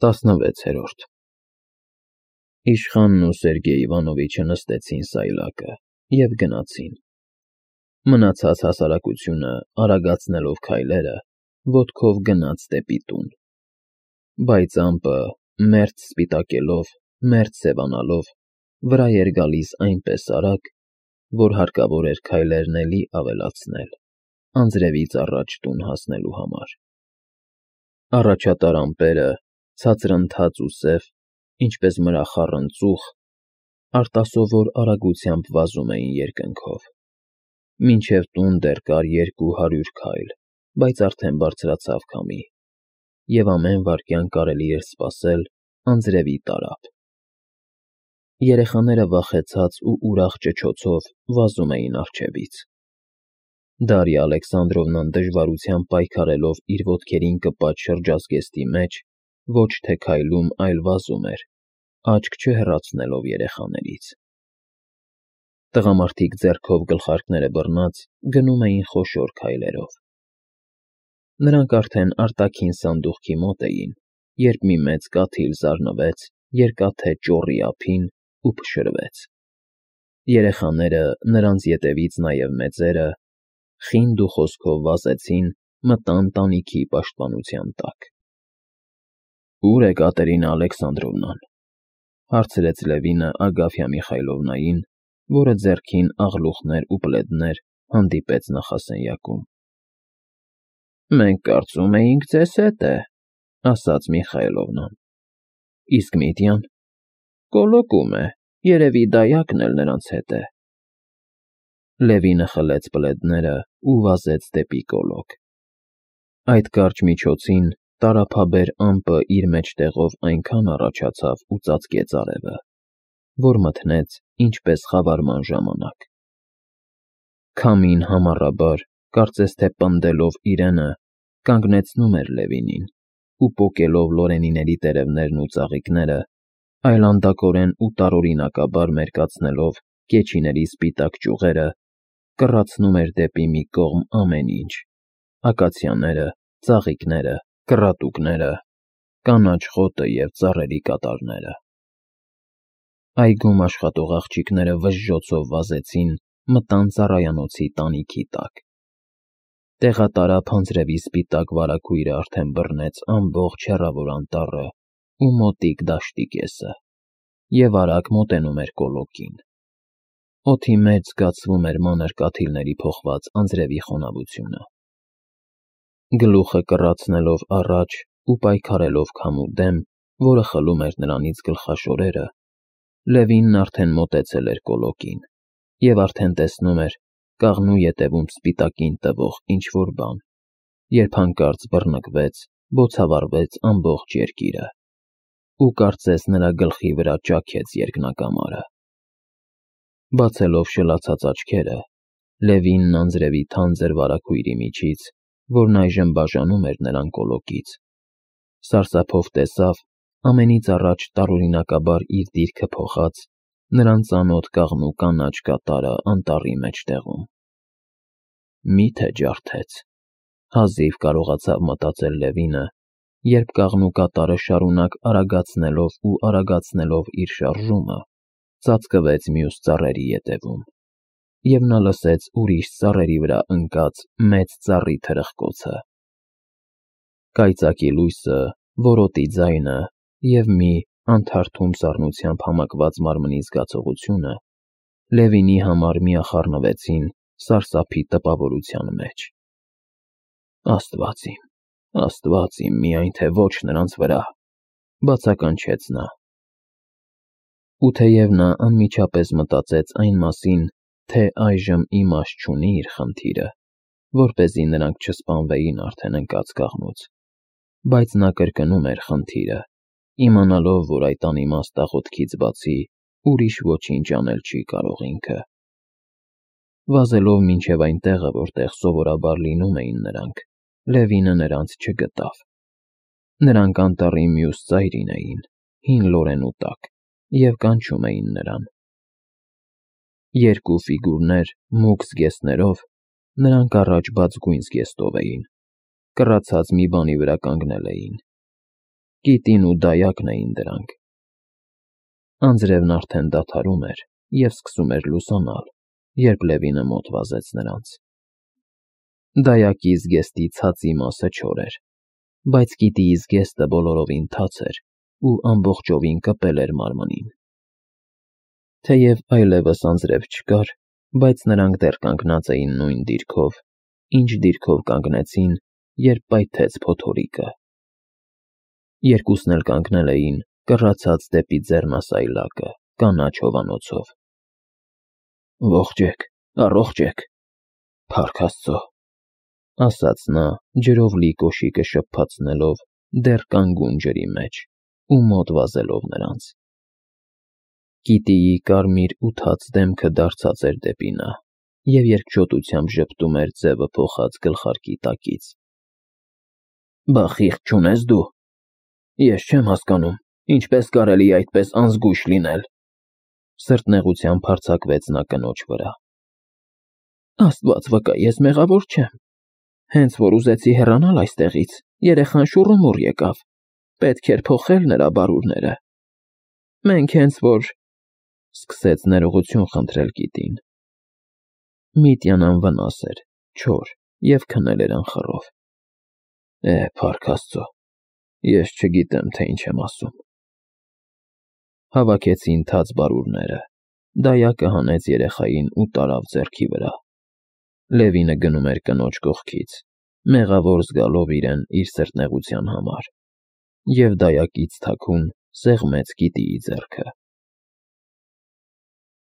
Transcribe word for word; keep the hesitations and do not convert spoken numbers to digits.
տասնվեցերորդ Իշխանն ու Սերգեյ Իվանովիչը նստեցին սայլակը և գնացին, մնացած հասարակությունը արագացնելով քայլերը, ոտքով գնաց դեպի տուն, բայց ամպը, մերթ սպիտակելով, մերթ սևանալով, վրա էր գալիս այնպես արագ, որ հարկավոր էր քայլերն էլի ավելացնել, անձրևից առաջ տուն հասնելու համար. առաջատար ամպերը, ցածրընթաց ու սև, ինչպես մրախառն ծուխ, արտասովոր արագությամբ վազում էին երկնքով, մինչև տուն դեռ կար երկու հարյուր քայլ, բայց արդեն բարձրացավ քամի, և ամեն վայրկյան կարելի էր սպասել անձրևի տարափ. երեխաները վախեցած ու ուրախ ճչոցով վազում էին առջևից. Դարիա Ալեքսանդրովնան դժվարությամբ պայքարելով իր ոտքերին կպած շրջազգեստի մեջ, ոչ թե քայլում, այլ վազում էր, աչք չհեռացնելով երեխաներից. տղամարդիկ ձեռքով գլխարկները բռնած գնում էին խոշոր քայլերով. նրանք արդեն արտաքին սանդուղքի մոտ էին, երբ մի մեծ կաթիլ զարնվեց երկաթե ճոռի ափին ու փշրվեց. երեխաները, նրանց ետևից նաև մեծերը, խինդ ու խոսքով վազեցին, մտան տանիքի պաշտպանության տակ. Ո՞ւր է Կատերինա Ալեքսանդրովնան,- հարցրեց Լևինը Ագաֆյա Միխայլովնային, որը ձեռքին աղլուխներ ու պլեդներ հանդիպեց նախասենյակում: Մենք կարծում էինք ձեզ հետ է,- ասաց Միխայլովնան: Իսկ Միտյան: Կոլոկում է, երևի դայակն էլ նրանց հետ է: Լևինը խլեց պլեդները ու վազեց դեպի կոլոկ: Այդ կարճ միջոցին տառափաբեր ամպը իր մեջտեղով այնքան առաջացավ ու ծածկեց արևը, որ մթնեց ինչպես խավարման ժամանակ: Քամին համառաբար, կարծես թե պնդելով իրենը, կանգնեցնում էր Լևինին ու պոկելով լորենիների տերևներն ու ծաղիկները, այլանդակորեն ու տարօրինակաբար մերկացնելով կեչիների սպիտակ ճյուղերը, կռացնում էր դեպի մի կողմ ամեն ինչ՝ ակացիաները, ծաղիկները, կռատուկները, կանաչ խոտը և ծառերի կատարները: Այգում աշխատող աղջիկները վժժոցով վազեցին, մտան ծառայանոցի տանիքի տակ: Տեղատարափ անձրևի սպիտակ վարագույրը արդեն բռնեց ամբողջ հեռավոր անտառը ու մոտիկ դաշտի կեսը և արագ մոտենում էր կոլոկին: Օդի մեջ զգացվում էր մանր կաթիլների փոխված անձրևի խոնավությունը: Գլուխը կռացնելով առաջ ու պայքարելով քամու դեմ, որը խլում էր նրանից գլխաշորերը, Լևինն արդեն մոտեցել էր կոլոկին և արդեն տեսնում էր կաղնու ետևում սպիտակին տվող ինչ-որ բան, երբ հանկարծ բռնկվեց, բոցավառվեց ամբողջ երկիրը ու կարծես նրա գլխի վրա ճաքեց երկնակամարը: Բացելով շլացած աչքերը, Լևինն անձրևի թանձր վարագույրի միջից, որն այժմ բաժանում էր նրան կոլոկից, սարսափով տեսավ ամենից առաջ տարօրինակաբար իր դիրքը փոխած, նրան ծանոթ կաղնու կանաչ կատարը անտառի մեջտեղում: Մի՞թե ջարդեց, հազիվ կարողացավ մտածել Լևինը, երբ կաղնու կատարը շարունակ արագացնելով ու արագացնելով իր շարժումը, ծածկվեց մյուս ծառերի ետևում, և նա լսեց ուրիշ ծառերի վրա ընկած մեծ ծառի թրխկոցը: Կայծակի լույսը, որոտի ձայնը և մի անթարթում սառնությամբ համակված մարմնի զգացողությունը Լևինի համար միախառնվեցին սարսափի տպավորության մեջ: Աստված իմ, Աստված իմ, միայն թե ոչ նրանց վրա,- բացականչեց նա: Ու թեև նա անմիջապես մտածեց այն մասին, թե այժմ իմաստ չունի իր խնդիրը, որպեսզի նրանք չսպանվեին արդեն ընկած կաղնուց, բայց նա կրկնում էր խնդիրը, իմանալով, որ այդ անիմաստ աղոթքից բացի ուրիշ ոչինչ անել չի կարող ինքը: Վազելով մինչև այն տեղը, որտեղ սովորաբար լինում էին նրանք, Լևինը նրանց չգտավ: Նրանք անտառի մյուս ծայրին էին, հին լորենու տակ և կանչում էին նրան: Երկու ֆիգուրներ, մուգ զգեստներով, նրանք առաջ բաց գույն զգեստով էին, կռացած մի բանի վրա կանգնել էին: Կիտին ու դայակն էին դրանք։ Անձրևն արդեն դադարում էր և սկսում էր լուսանալ, երբ Լևինը մոտ վազեց նրանց։ Դայակի զգեստի ցածի մասը չոր էր, բայց կիտիի զգեստը բոլորովին թաց էր ու ամբողջովին կպել էր մարմնին։ Թեև այլևս անձրև չկար, բայց նրանք դեռ կանգնած էին նույն դիրքով, ինչ դիրքով կանգնեցին, երբ պայթեց փոթորիկը։ Երկուսն էլ կանգնել էին, կռացած դեպի ձեռնասայլակը, կանաչ հովանոցով։ «Ողջ եք, առողջ եք, փառք Աստծո», ասաց նա, ջրով լի կոշիկը շփփացնելով դեռ կանգուն ջրի մեջ ու մոտ վազելով նրանց։ Կիտիի կարմիր ու թաց դեմքը դարձած էր դեպի նա և երկչոտությամբ ժպտում էր ձևը փոխած գլխարկի տակից։ «Բա խիղճ չունե՞ս դու։ Ես չեմ հասկանում, ինչպես կարելի է այդպես անզգույշ լինել», սրտնեղությամբ հարձակվեց նա կնոջ վրա։ «Աստված վկա, ես մեղավոր չեմ։ Հենց որ ուզեցի հեռանալ այստեղից, երեխան շուռումուռ եկավ, պետք էր փոխել նրա բարուրները։ Մենք հենց որ…» սկսեց ներողություն խնդրել կիտին։ Միտյան անվնաս էր, չոր և քնել էր անխռով։ «Է, փառք Աստծո, ես չգիտեմ, թե ինչ եմ ասում»։ Հավաքեցին թաց բարուրները, դայակը հանեց երեխային ու տարավ ձեռքի վրա։ Լևինը գնում էր կնոջ կողքից, մեղավոր զգալով իրեն իր սրտնեղության համար, և դայակից թաքուն սեղմեց կիտիի ձեռքը։